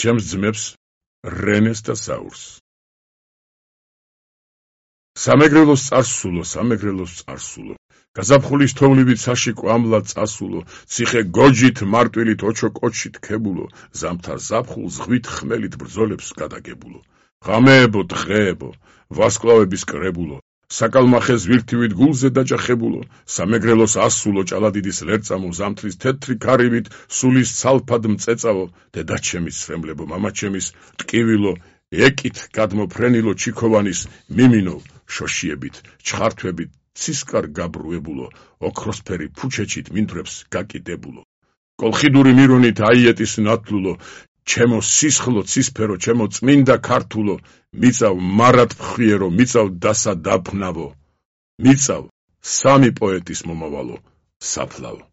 ჩემს ძმებს რენეს და საურს. სამეგრელოს წარსულო, გაზაფხულის თოვლივით საში კვამლად წასულო, ციხე გოჯით მარტვილით ოჩო კოჩით ქებულო, ზამთარ ზაფხულს ზღვით ხმელით ბრძოლებს გადაგებულო. ღამეებო, დღეებო, ვარსკვლავების კრებულო, საკალმახეს ვირთივით გულზე დაჯახებულო, სამეგრელოს ასულო, ჭალადიდის ლერწამო, ზამთრის თეთრი ქარივით სულის ცალფად მწეწავო, დედაჩემის სვემლებო, მამაჩემის ტკივილო, ეკით გადმოფრენილო ჩიქოვანის მიმინო, შოშიებით, ჩხართვებით, ცისკარ გაბრუებულო, ოქროსფერი ფუჩეჩით მინდვრებს გაკიდებულო. კოლხიდური მირონით აიეტის ნათლულო, ჩემო სისხლო ცისფერო, ჩემო წმინდა ქართულო, მიწავ მარად ფხვიერო, მიწავ დასა დაფნავო, მიწავ სამი პოეტის მომავალო, საფლავო.